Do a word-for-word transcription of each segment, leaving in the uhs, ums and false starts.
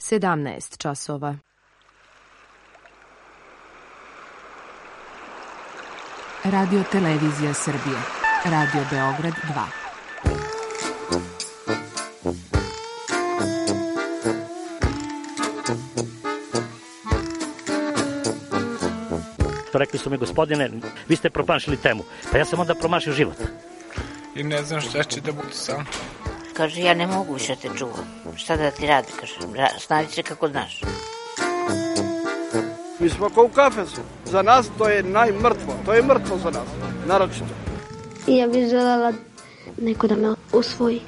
sedamnaest časova. Radio Televizija Srbije. Radio Beograd dva. Rekli su mi, gospodine, vi ste promašili temu. Pa ja sam onda promašio život. I ne znam šta će da bude sam. Kaže, ja ne mogu više te čuvam. Šta da ti radi, kaže, snađi se kako znaš. Mi smo kao u kafesu. Za nas to je najmrtvo. To je mrtvo za nas, naročito. I ja bih želela neko da me usvoji.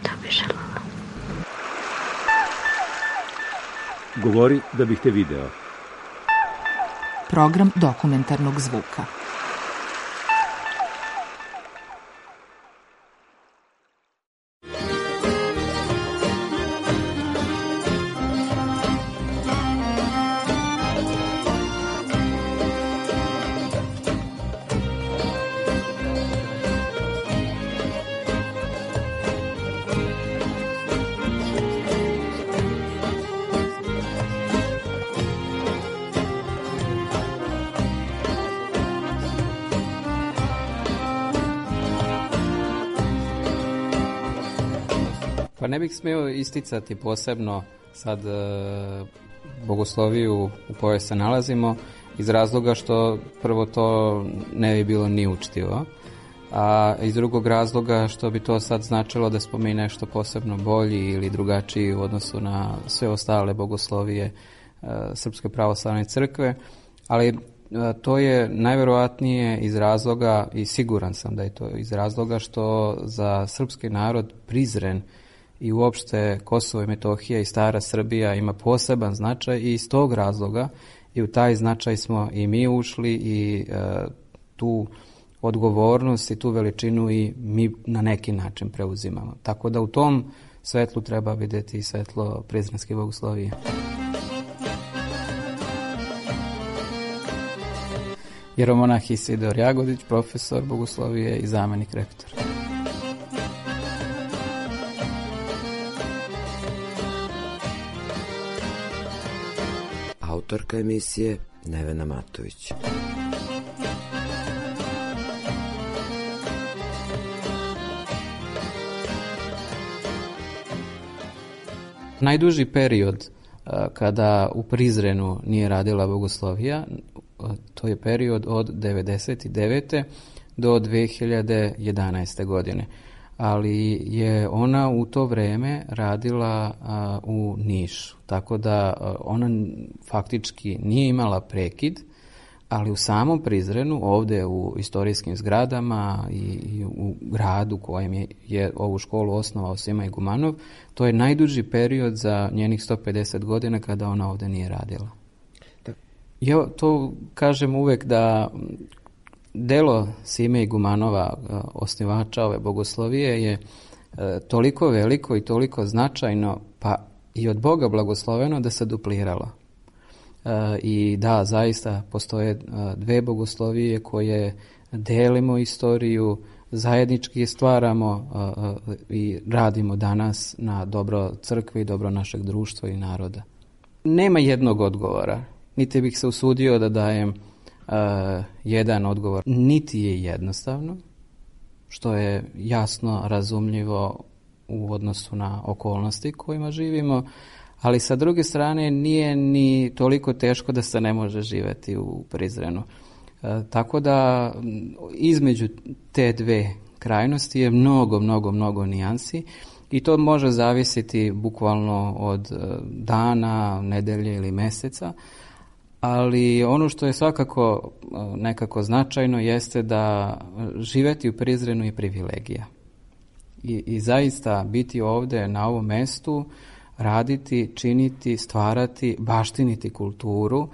Da bih želela. Govori da bih te video. Program dokumentarnog zvuka. Pa ne bih smio isticati posebno sad e, bogosloviju u kojoj se nalazimo iz razloga što prvo to ne bi bilo ni učtivo, a iz drugog razloga što bi to sad značilo da smo mi nešto posebno bolji ili drugačiji u odnosu na sve ostale bogoslovije e, Srpske pravoslavne crkve, ali e, to je najverovatnije iz razloga, i siguran sam da je to iz razloga što za srpski narod Prizren i uopšte Kosovo i Metohija i stara Srbija ima poseban značaj i iz tog razloga i u taj značaj smo i mi ušli i e, tu odgovornost i tu veličinu i mi na neki način preuzimamo. Tako da u tom svetlu treba vidjeti i svetlo prizrenske bogoslovije. Jeromonah Isidor Jagodić, profesor bogoslovije i zamenik rektora. Autorka emisije Nevena Matović. Najduži period kada u Prizrenu nije radila bogoslovija, to je period od devedeset devete do dve hiljade jedanaeste. godine. Ali je ona u to vreme radila a, u Nišu, tako da a, ona faktički nije imala prekid, ali u samom Prizrenu, ovde u istorijskim zgradama i, i u gradu kojem je, je ovu školu osnovao Sima Igumanov, to je najduži period za njenih sto pedeset godina kada ona ovde nije radila. Ja to kažem uvek da delo Sime Igumanova, osnivača ove bogoslovije, je toliko veliko i toliko značajno, pa i od Boga blagosloveno da se dupliralo. I da, zaista postoje dve bogoslovije koje delimo istoriju, zajednički stvaramo i radimo danas na dobro crkve i dobro našeg društva i naroda. Nema jednog odgovora, niti bih se usudio da dajem Uh, jedan odgovor. Niti je jednostavno, što je jasno razumljivo u odnosu na okolnosti kojima živimo, ali sa druge strane nije ni toliko teško da se ne može živeti u Prizrenu. Uh, tako da između te dve krajnosti je mnogo, mnogo, mnogo nijansi i to može zavisiti bukvalno od uh, dana, nedelje ili meseca. Ali ono što je svakako nekako značajno jeste da živeti u Prizrenu je privilegija. I, i zaista biti ovde na ovom mestu, raditi, činiti, stvarati, baštiniti kulturu,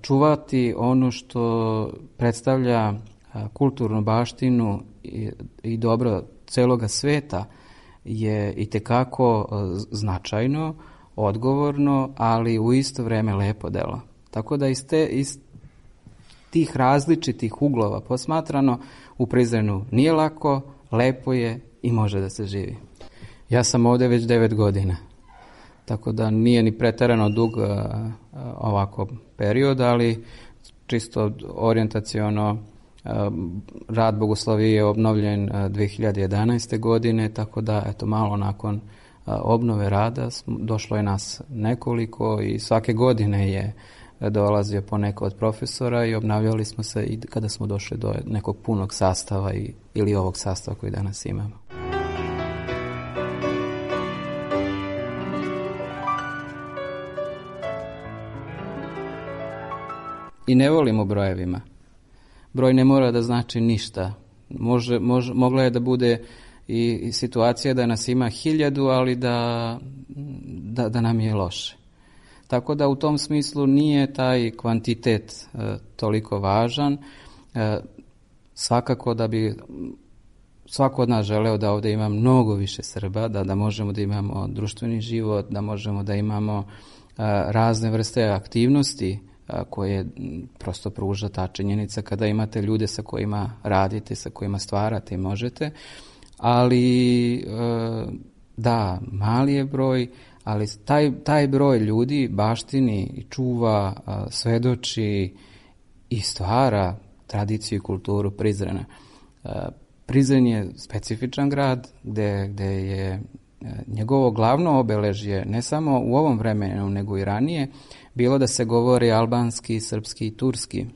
čuvati ono što predstavlja kulturnu baštinu i, i dobro celoga sveta je itekako značajno, odgovorno, ali u isto vreme lepo delo. Tako da iz, te, iz tih različitih uglova posmatrano u Prizrenu nije lako, lepo je i može da se živi. Ja sam ovde već devet godina. tako da nije ni preterano dug ovako period, ali čisto orijentaciono rad Bogoslovije je obnovljen dve hiljade jedanaeste. godine, tako da eto malo nakon obnove rada došlo je nas nekoliko i svake godine je dolazio poneko od profesora i obnavljali smo se i kada smo došli do nekog punog sastava i, ili ovog sastava koji danas imamo. I ne volimo brojevima. Broj ne mora da znači ništa. Može, može, mogla je da bude i, i situacija da nas ima hiljadu, ali da, da, da nam je loše. Tako da u tom smislu nije taj kvantitet e, toliko važan. E, svakako da bi svako od nas želeo da ovdje ima mnogo više Srba, da, da možemo da imamo društveni život, da možemo da imamo e, razne vrste aktivnosti a, koje prosto pruža ta činjenica kada imate ljude sa kojima radite, sa kojima stvarate i možete. Ali e, da, mali je broj, ali taj, taj broj ljudi baštini i čuva, a, svedoči i stvara tradiciju i kulturu Prizrena. A, Prizren je specifičan grad gde, gde je njegovo glavno obeležje, ne samo u ovom vremenu, nego i ranije, bilo da se govori albanski, srpski i turski.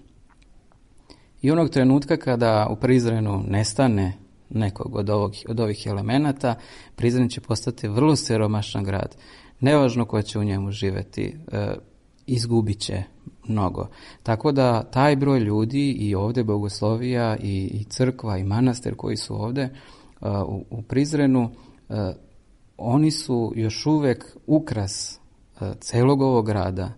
I onog trenutka kada u Prizrenu nestane nekog od, ovog, od ovih elemenata, Prizren će postati vrlo siromašan grad. Nevažno ko će u njemu živeti, e, izgubit će mnogo. Tako da taj broj ljudi i ovdje Bogoslovija i, i crkva i manastir koji su ovdje e, u, u Prizrenu, e, oni su još uvek ukras e, celog ovog grada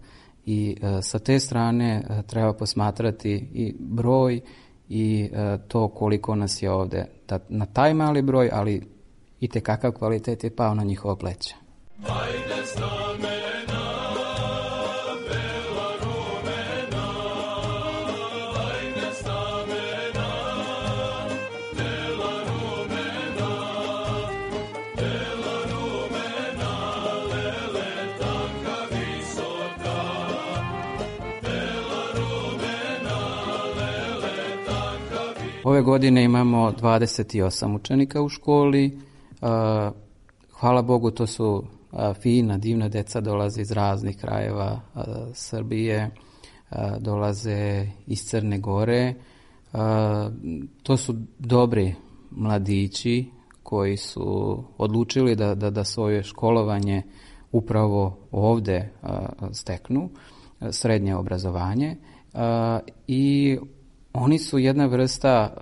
i e, sa te strane e, treba posmatrati i broj i e, to koliko nas je ovdje. Da, na taj mali broj, ali i te kakav kvalitet je pao na njihovo pleće. Ajde s namena, bela rumena, ajde s namena, bela rumena, bela rumena, lele tanka visoka, bela rumena, lele tanka visoka. Ove godine imamo dvadeset osam učenika u školi. Hvala Bogu, to su fina, divna deca, dolaze iz raznih krajeva Srbije, dolaze iz Crne Gore. To su dobri mladići koji su odlučili da, da, da svoje školovanje upravo ovdje steknu, srednje obrazovanje. I oni su jedna vrsta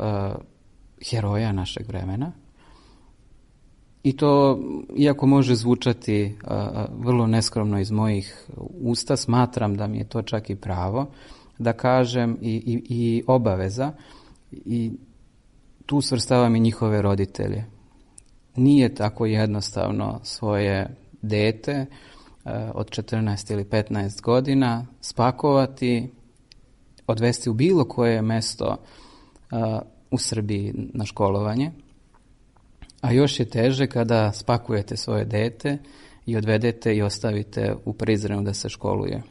heroja našeg vremena. I to, iako može zvučati a, vrlo neskromno iz mojih usta, smatram da mi je to čak i pravo da kažem i, i, i obaveza, i tu svrstavam i njihove roditelje. Nije tako jednostavno svoje dete a, od četrnaest ili petnaest godina spakovati, odvesti u bilo koje mesto a, u Srbiji na školovanje. A još je teže kada spakujete svoje dete i odvedete i ostavite u Prizrenu da se školuje.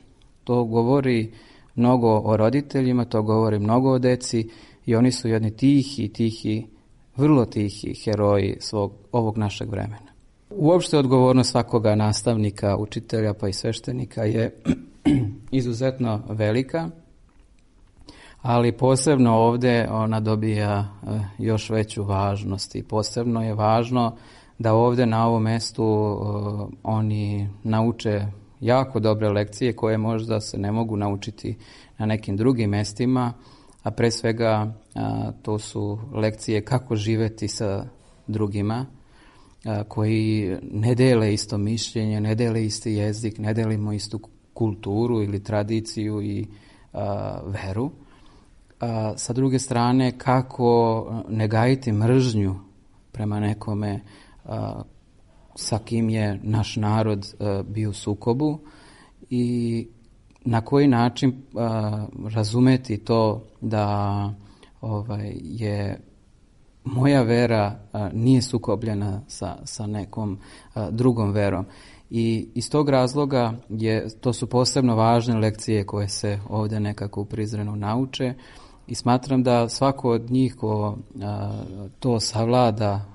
To govori mnogo o roditeljima, to govori mnogo o deci i oni su jedni tihi, tihi, vrlo tihi heroji svog, ovog našeg vremena. Uopšte odgovornost svakoga nastavnika, učitelja pa i sveštenika je izuzetno velika, ali posebno ovdje ona dobija još veću važnost i posebno je važno da ovdje na ovom mjestu uh, oni nauče jako dobre lekcije koje možda se ne mogu naučiti na nekim drugim mjestima, a pre svega uh, to su lekcije kako živjeti sa drugima uh, koji ne dele isto mišljenje, ne dele isti jezik, ne delimo istu kulturu ili tradiciju i uh, veru. A, sa druge strane, kako ne gajiti mržnju prema nekome a, sa kim je naš narod a, bio u sukobu i na koji način a, razumeti to da ovaj, je moja vera a, nije sukobljena sa, sa nekom a, drugom verom. I iz tog razloga je, to su posebno važne lekcije koje se ovdje nekako u Prizrenu nauče i smatram da svako od njih ko a, to savlada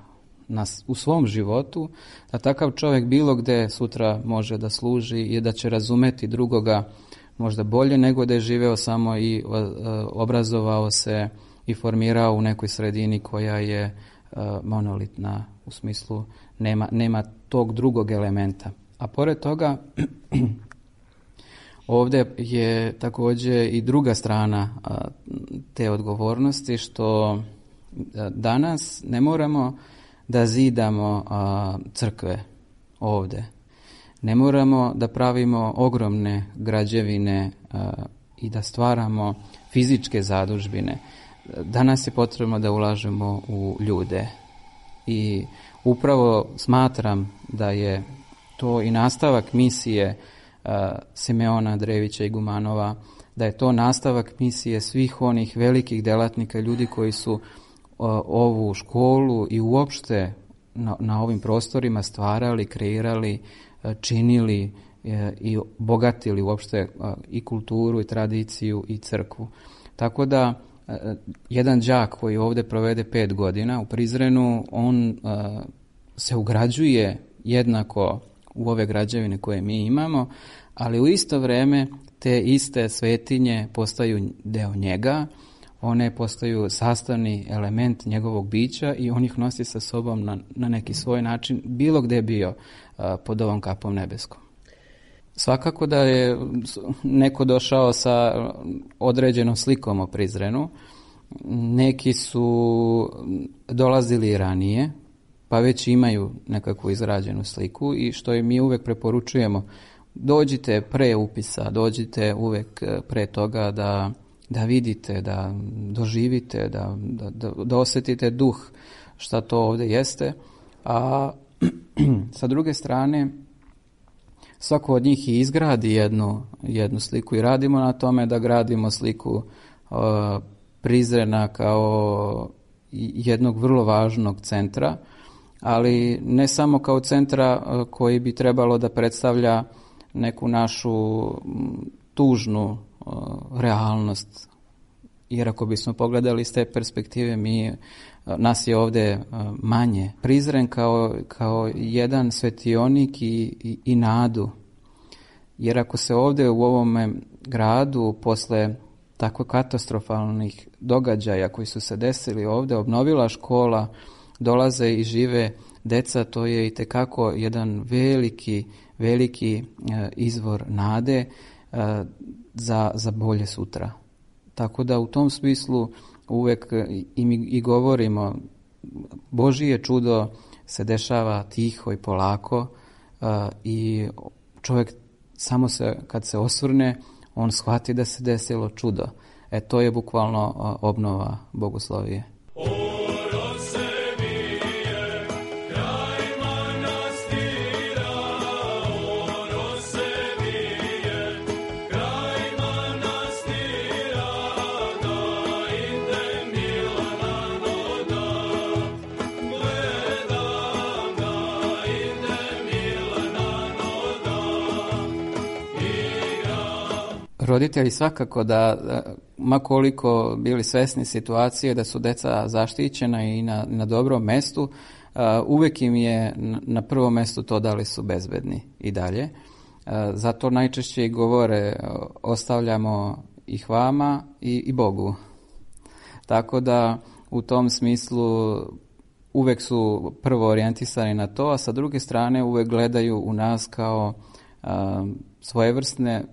na, u svom životu, da takav čovjek bilo gdje sutra može da služi i da će razumeti drugoga možda bolje nego da je živeo samo i a, obrazovao se i formirao u nekoj sredini koja je a, monolitna, u smislu nema, nema tog drugog elementa. A pored toga, ovdje je također i druga strana a, te odgovornosti, što a, danas ne moramo da zidamo a, crkve ovdje. Ne moramo da pravimo ogromne građevine a, i da stvaramo fizičke zadužbine. Danas je potrebno da ulažemo u ljude. I upravo smatram da je to i nastavak misije uh, Simeona Drevića i Gumanova, da je to nastavak misije svih onih velikih delatnika, ljudi koji su uh, ovu školu i uopšte na, na ovim prostorima stvarali, kreirali, uh, činili uh, i bogatili uopšte uh, i kulturu i tradiciju i crkvu. Tako da uh, jedan đak koji ovdje provede pet godina u Prizrenu, on uh, se ugrađuje jednako u ove građevine koje mi imamo, ali u isto vrijeme te iste svetinje postaju deo njega, one postaju sastavni element njegovog bića i on ih nosi sa sobom na, na neki svoj način, bilo gdje je bio a, pod ovom kapom nebeskom. Svakako da je neko došao sa određenom slikom o Prizrenu, neki su dolazili ranije, pa već imaju nekakvu izrađenu sliku i što i mi uvek preporučujemo, dođite pre upisa, dođite uvek pre toga da, da vidite, da doživite, da, da, da, da osjetite duh šta to ovdje jeste, a sa druge strane svako od njih i izgradi jednu, jednu sliku i radimo na tome da gradimo sliku uh, Prizrena kao jednog vrlo važnog centra, ali ne samo kao centra koji bi trebalo da predstavlja neku našu tužnu realnost. Jer ako bismo pogledali s te perspektive, mi, nas je ovdje manje. Prizren kao, kao jedan svetionik i, i, i nadu. Jer ako se ovdje u ovome gradu posle tako katastrofalnih događaja koji su se desili ovdje obnovila škola, dolaze i žive deca, to je itekako jedan veliki, veliki e, izvor nade e, za, za bolje sutra. Tako da u tom smislu uvek i mi i govorimo, Božije čudo se dešava tiho i polako e, i čovjek samo se, kad se osvrne, on shvati da se desilo čudo. E to je bukvalno obnova Bogoslovije. Roditelji svakako da, ma koliko bili svesni situacije da su deca zaštićena i na, na dobrom mestu, uh, uvijek im je na prvom mestu to da li su bezbedni i dalje. Uh, zato najčešće i govore ostavljamo ih vama i, i Bogu. Tako da u tom smislu uvijek su prvo orijentisani na to, a sa druge strane uvijek gledaju u nas kao uh, svojevrsne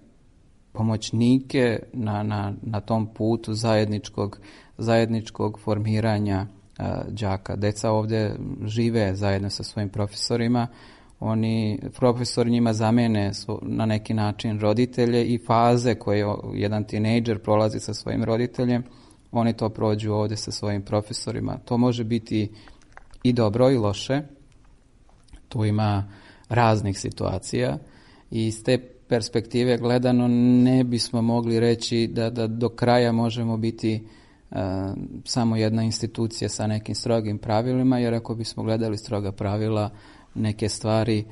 pomoćnike na, na, na tom putu zajedničkog, zajedničkog formiranja uh, đaka. Deca ovdje žive zajedno sa svojim profesorima, oni, profesori njima zamene svo, na neki način roditelje i faze koje jedan tinejdžer prolazi sa svojim roditeljem, oni to prođu ovdje sa svojim profesorima. To može biti i dobro i loše, tu ima raznih situacija i iz te perspektive gledano ne bismo mogli reći da, da do kraja možemo biti uh, samo jedna institucija sa nekim strogim pravilima, jer ako bismo gledali stroga pravila, neke stvari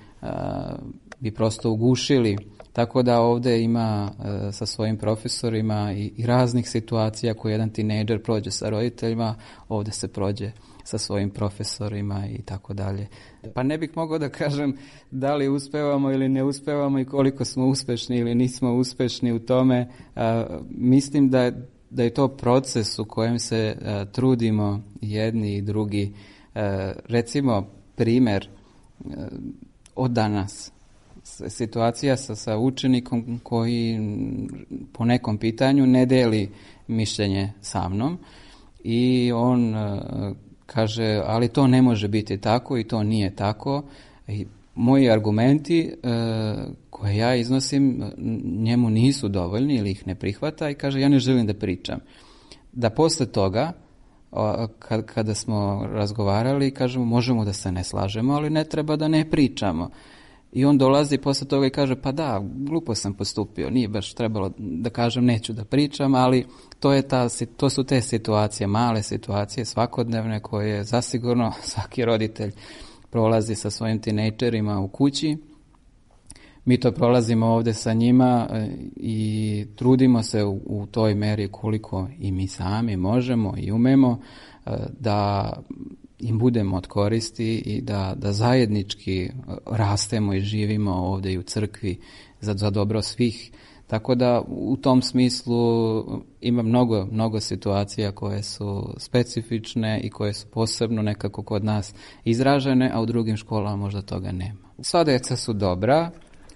bi prosto ugušili. Tako da ovdje ima e, sa svojim profesorima i, i raznih situacija koje jedan tinejdžer prođe sa roditeljima, ovdje se prođe sa svojim profesorima i tako dalje. Pa ne bih mogao da kažem da li uspevamo ili ne uspevamo i koliko smo uspešni ili nismo uspešni u tome. E, mislim da, da je to proces u kojem se e, trudimo jedni i drugi. E, recimo primjer e, od danas. Situacija sa, sa učenikom koji po nekom pitanju ne deli mišljenje sa mnom i on uh, kaže, ali to ne može biti tako i to nije tako. I moji argumenti uh, koje ja iznosim njemu nisu dovoljni ili ih ne prihvata i kaže, ja ne želim da pričam. Da posle toga, uh, kad, kada smo razgovarali, kažemo, možemo da se ne slažemo, ali ne treba da ne pričamo. I on dolazi posle toga i kaže, pa da, glupo sam postupio, nije baš trebalo da kažem, neću da pričam, ali to, je ta, to su te situacije, male situacije, svakodnevne, koje zasigurno svaki roditelj prolazi sa svojim tinejdžerima u kući. Mi to prolazimo ovdje sa njima i trudimo se u, u toj meri koliko i mi sami možemo i umemo da im budemo od koristi i da, da zajednički rastemo i živimo ovdje i u crkvi za, za dobro svih. Tako da u tom smislu ima mnogo, mnogo situacija koje su specifične i koje su posebno nekako kod nas izražene, a u drugim školama možda toga nema. Sva deca su dobra,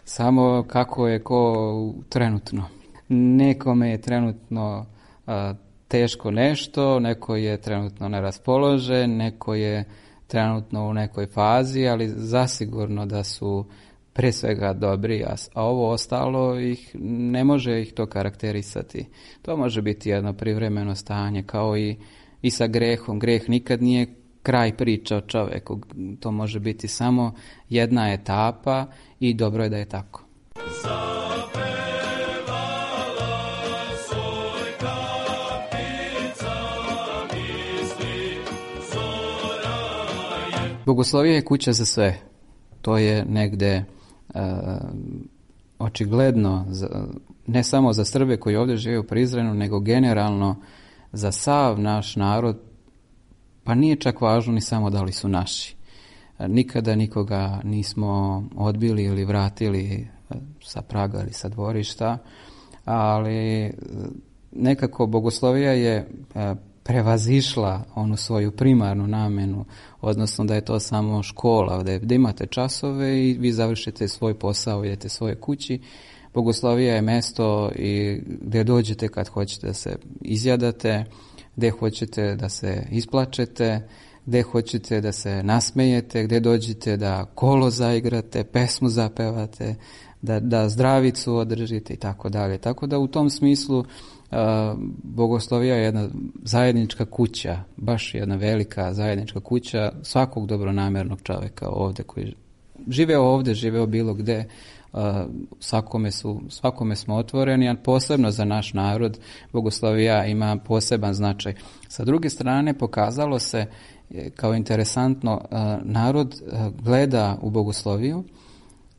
samo kako je ko trenutno. Nekome je trenutno a, teško nešto, neko je trenutno neraspoložen, neko je trenutno u nekoj fazi, ali zasigurno da su pre svega dobri, a ovo ostalo ih ne može ih to karakterisati. To može biti jedno privremeno stanje, kao i, i sa grehom. Greh nikad nije kraj priče o čoveku. To može biti samo jedna etapa i dobro je da je tako. Bogoslovija je kuća za sve. To je negde uh, očigledno, za, ne samo za Srbe koji ovdje žive u Prizrenu, nego generalno za sav naš narod, pa nije čak važno ni samo da li su naši. Nikada nikoga nismo odbili ili vratili sa praga ili sa dvorišta, ali nekako Bogoslovija je uh, prevazišla onu svoju primarnu namenu, odnosno da je to samo škola, gde, gde imate časove i vi završite svoj posao, idete svoje kući. Bogoslovija je mesto i gde dođete kad hoćete da se izjadate, gde hoćete da se isplačete, gde hoćete da se nasmejete, gde dođete da kolo zaigrate, pesmu zapevate, da, da zdravicu održite i tako dalje. Tako da u tom smislu Uh, Bogoslovija je jedna zajednička kuća, baš jedna velika zajednička kuća svakog dobronamernog čovjeka ovdje koji žive ovdje, žive bilo gde, uh, svakome, su, svakome smo otvoreni, a posebno za naš narod Bogoslovija ima poseban značaj. Sa druge strane pokazalo se kao interesantno, uh, narod uh, gleda u Bogosloviju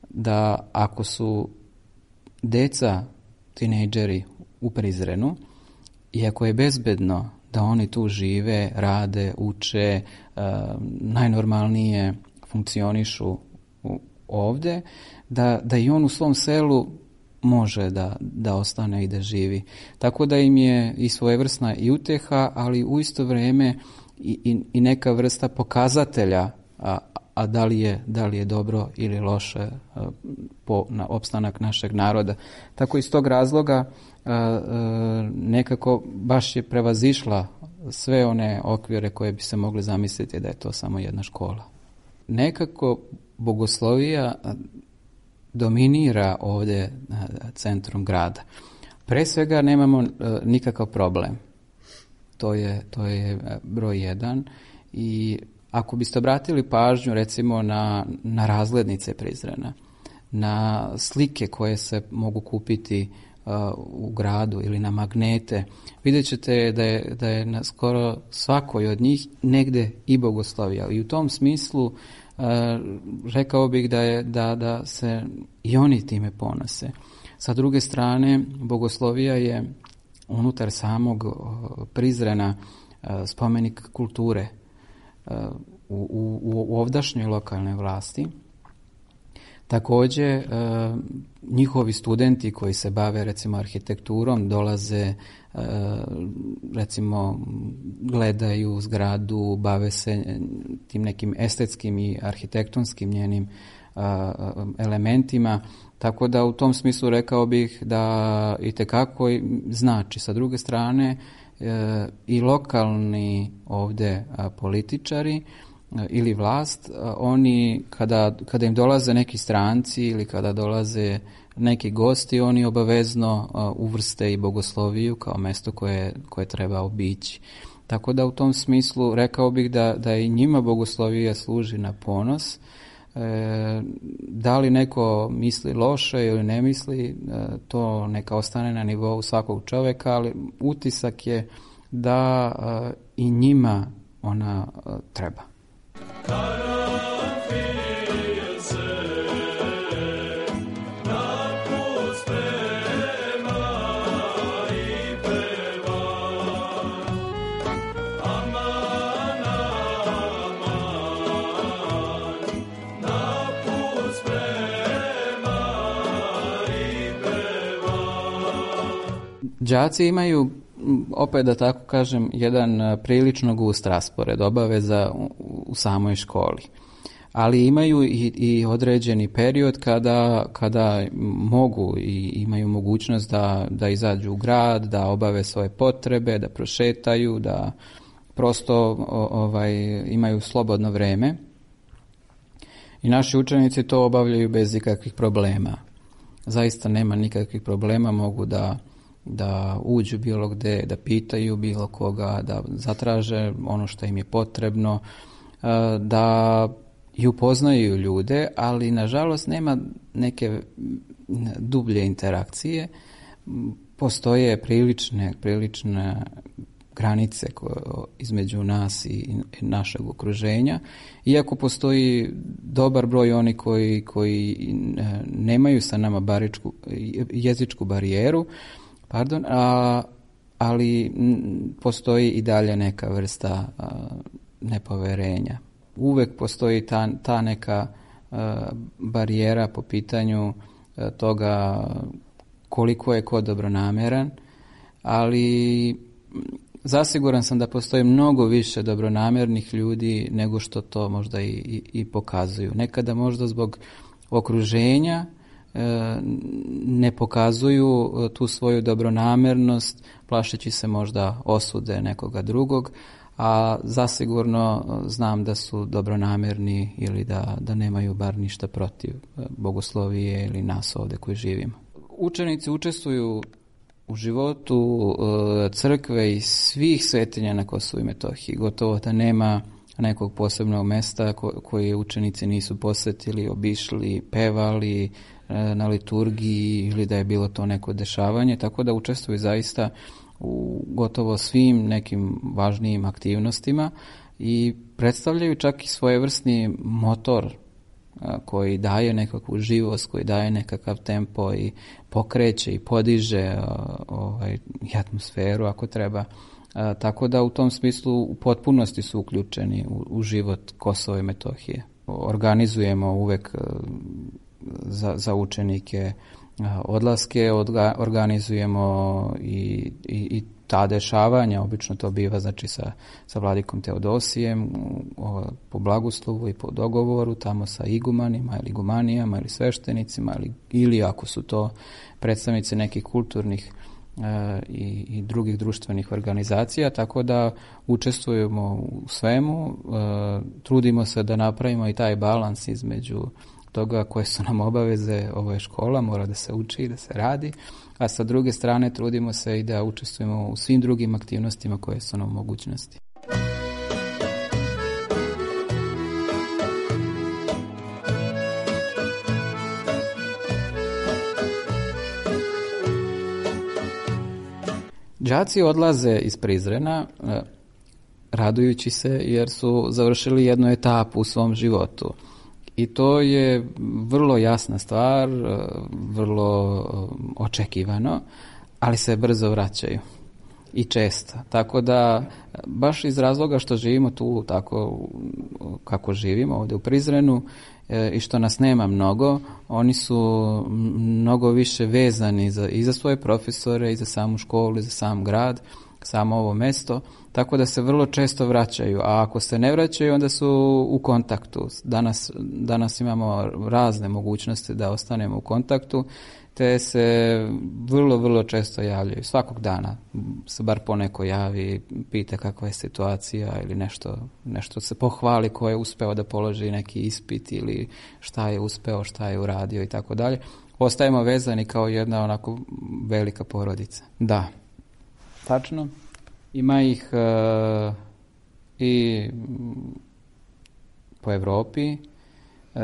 da ako su deca, tinejdžeri u Prizrenu, iako je bezbedno da oni tu žive, rade, uče, uh, najnormalnije funkcionišu u, ovdje, da, da i on u svom selu može da, da ostane i da živi. Tako da im je i svojevrsna i uteha, ali u isto vrijeme i, i, i neka vrsta pokazatelja, a, a da li je, da li je dobro ili loše a, po na opstanak našeg naroda. Tako iz tog razloga a, a, nekako baš je prevazišla sve one okvire koje bi se mogli zamisliti da je to samo jedna škola. Nekako Bogoslovija dominira ovdje centrom grada. Pre svega nemamo nikakav problem. To je, to je broj jedan. I ako biste obratili pažnju recimo na, na razglednice Prizrena, na slike koje se mogu kupiti uh, u gradu ili na magnete, vidjet ćete da je, da je na skoro svakoj od njih negde i Bogoslovija. I u tom smislu rekao bih da, je, da, da se i oni time ponose. Sa druge strane, bogoslovija je unutar samog Prizrena spomenik kulture u, u, u ovdašnjoj lokalnoj vlasti. Također, njihovi studenti koji se bave recimo arhitekturom dolaze, recimo gledaju zgradu, bave se tim nekim estetskim i arhitektonskim njenim elementima, tako da u tom smislu rekao bih da itekako znači. Sa druge strane, i lokalni ovdje političari ili vlast, oni kada, kada im dolaze neki stranci ili kada dolaze neki gosti, oni obavezno uvrste i bogosloviju kao mesto koje, koje treba obići. Tako da u tom smislu rekao bih da, da i njima bogoslovija služi na ponos. E, da li neko misli loše ili ne misli, e, to neka ostane na nivou svakog čovjeka, ali utisak je da e, i njima ona e, treba. Đaci imaju, opet da tako kažem, jedan prilično gust raspored obaveza u, u samoj školi. Ali imaju i, i određeni period kada, kada mogu i imaju mogućnost da, da izađu u grad, da obave svoje potrebe, da prošetaju, da prosto o, ovaj, imaju slobodno vreme. I naši učenici to obavljaju bez ikakvih problema. Zaista nema nikakvih problema, mogu da da uđu bilo gde, da pitaju bilo koga, da zatraže ono što im je potrebno, da i upoznaju ljude, ali nažalost nema neke dublje interakcije. Postoje prilične, prilične granice koje, između nas i našeg okruženja, iako postoji dobar broj oni koji, koji nemaju sa nama baričku, jezičku barijeru, Pardon, a, ali m, postoji i dalje neka vrsta a, nepoverenja. Uvek postoji ta, ta neka a, barijera po pitanju a, toga koliko je ko dobronameran, ali zasiguran sam da postoji mnogo više dobronamernih ljudi nego što to možda i, i, i pokazuju. Nekada možda zbog okruženja ne pokazuju tu svoju dobronamernost, plašeći se možda osude nekoga drugog, a zasigurno znam da su dobronamerni ili da, da nemaju bar ništa protiv bogoslovije ili nas ovdje koji živimo. Učenici učestvuju u životu crkve i svih svetinja na Kosovu i Metohiji. Gotovo da nema nekog posebnog mesta koje učenici nisu posjetili, obišli, pevali na liturgiji ili da je bilo to neko dešavanje, tako da učestvuju zaista u gotovo svim nekim važnijim aktivnostima i predstavljaju čak i svojevrsni motor koji daje nekakvu živost, koji daje nekakav tempo i pokreće i podiže ovaj, i atmosferu ako treba. Tako da u tom smislu u potpunosti su uključeni u, u život Kosova i Metohije. Organizujemo uvek za, za učenike odlaske, odga, organizujemo i, i, i ta dešavanja, obično to biva znači sa, sa vladikom Teodosijem o, po blagoslovu i po dogovoru, tamo sa igumanima ili igumanijama ili sveštenicima ili, ili ako su to predstavnici nekih kulturnih e, i, i drugih društvenih organizacija, tako da učestvujemo u svemu, e, trudimo se da napravimo i taj balans između toga koje su nam obaveze, ovo je škola, mora da se uči i da se radi, a sa druge strane trudimo se i da učestvujemo u svim drugim aktivnostima koje su nam u mogućnosti. Đaci odlaze iz Prizrena radujući se jer su završili jednu etapu u svom životu. I to je vrlo jasna stvar, vrlo očekivano, ali se brzo vraćaju i često. Tako da, baš iz razloga što živimo tu tako kako živimo ovdje u Prizrenu i što nas nema mnogo, oni su mnogo više vezani za, i za svoje profesore, i za samu školu, i za sam grad, samo ovo mesto, tako da se vrlo često vraćaju, a ako se ne vraćaju, onda su u kontaktu. Danas, danas imamo razne mogućnosti da ostanemo u kontaktu, te se vrlo, vrlo često javljaju. Svakog dana se bar poneko javi, pita kakva je situacija ili nešto, nešto se pohvali ko je uspeo da položi neki ispit ili šta je uspeo, šta je uradio i tako dalje. Ostajemo vezani kao jedna onako velika porodica. Da. Tačno. Ima ih uh, i po Evropi, uh,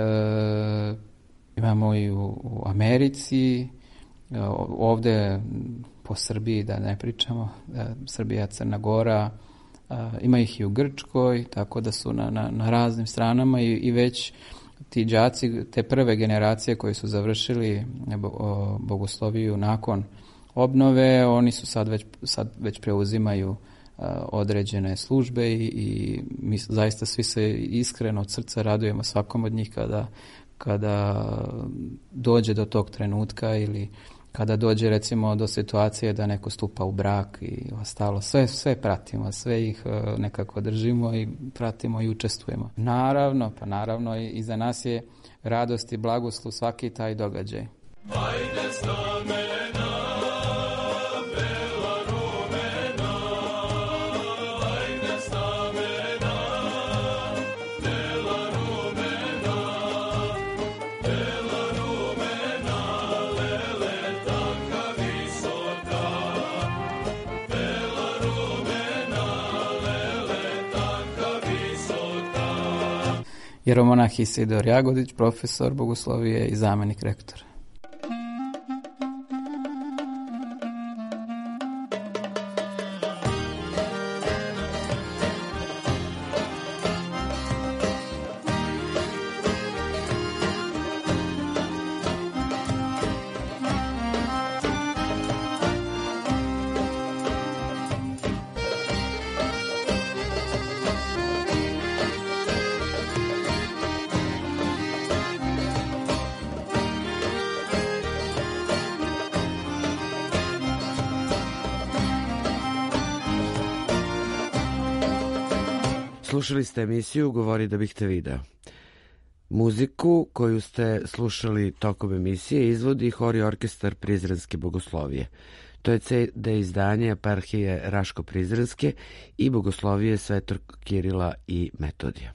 imamo i u, u Americi, uh, ovdje po Srbiji, da ne pričamo, uh, Srbija, Crna Gora, uh, ima ih i u Grčkoj, tako da su na, na, na raznim stranama i, i već ti đaci, te prve generacije koji su završili bogosloviju nakon obnove, oni su sad već, sad već preuzimaju uh, određene službe i, i mi zaista svi se iskreno od srca radujemo svakom od njih kada, kada dođe do tog trenutka ili kada dođe recimo do situacije da neko stupa u brak i ostalo. Sve, sve pratimo, sve ih uh, nekako držimo i pratimo i učestvujemo. Naravno, pa naravno i, i za nas je radost i blagoslov svaki taj događaj. Ajde s namena, bela rumena, ajde s namena, bela rumena, bela rumena, lele tanka visoka, bela rumena, lele tanka visoka. Jeromonah Isidor Jagodić, profesor bogoslovije i zamenik rektora. Slušali ste emisiju Govori da bih te video. Muziku koju ste slušali tokom emisije izvodi Hor i orkestar Prizrenske bogoslovije. To je ce de izdanje eparhije Raško-Prizrenske i bogoslovije Svetog Kirila i Metodija.